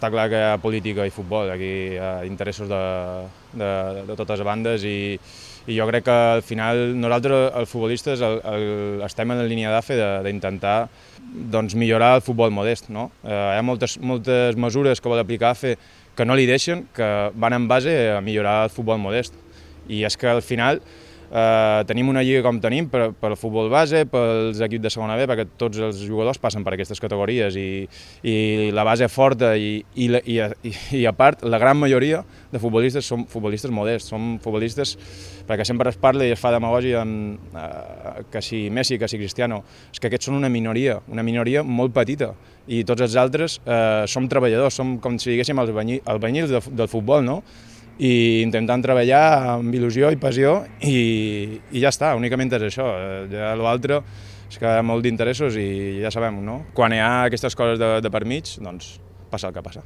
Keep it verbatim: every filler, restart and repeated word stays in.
Està clar que hi ha política i futbol, aquí hi ha interessos de, de, de totes bandes i, i jo crec que al final nosaltres, els futbolistes, el, el, estem en la línia d'A F E d'intentar doncs, millorar el futbol modest. No? Eh, hi ha moltes, moltes mesures que vol aplicar A F E que no li deixen, que van en base a millorar el futbol modest. I és que al final Uh, tenim una lliga com tenim per, per al futbol base, pels equips de segona B, perquè tots els jugadors passen per aquestes categories i, i la base forta i, i, i, i, i a part la gran majoria de futbolistes són futbolistes modests, són futbolistes perquè sempre es parla i es fa demagògia amb, uh, que si Messi, que si Cristiano, és que aquests són una minoria, una minoria molt petita i tots els altres uh, som treballadors, som com si diguéssim els albañils de, del futbol, no? I intentant treballar amb il·lusió i passió i, i ja està, únicament és això. Ja l'altre és que hi ha molt d'interessos i ja sabem, no? Quan hi ha aquestes coses de, de per mig, doncs passa el que passa.